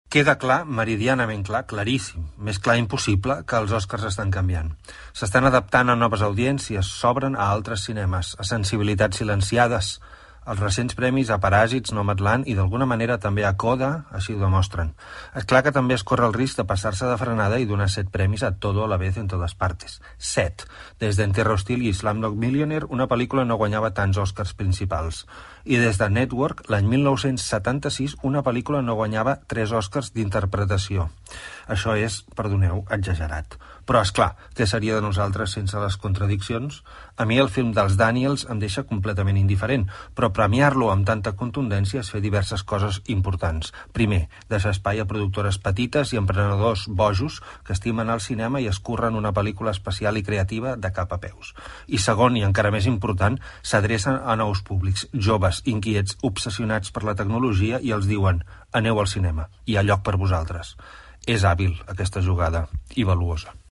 Queda clar, meridianament clar, claríssim, més clar impossible, que els Oscars estan canviant. S'estan adaptant a noves audiències, s'obren a altres cinemes, a sensibilitats silenciades. Els recents premis a Paràsits, Nomadland i d'alguna manera també a Coda així ho demostren. És clar que també es corre el risc de passar-se de frenada i donar 7 premis a todo a la vez en totes partes. 7. Des d'Entierro Hostil i Slumdog Millionaire, una pel·lícula no guanyava tants Oscars principals. I des de Network, l'any 1976, una pel·lícula no guanyava 3 Oscars d'interpretació. Això és, perdoneu, exagerat. Però, és clar, què seria de nosaltres sense les contradiccions? A mi el film dels Daniels em deixa completament indiferent, però premiar-lo amb tanta contundència és fer diverses coses importants. Primer, deixar espai a productores petites i emprenedors bojos que estimen el cinema i escurren una pel·lícula especial i creativa de cap a peus. I segon, i encara més important, s'adrecen a nous públics, joves, inquiets, obsessionats per la tecnologia i els diuen «aneu al cinema, hi ha lloc per vosaltres». És hàbil aquesta jugada i valuosa.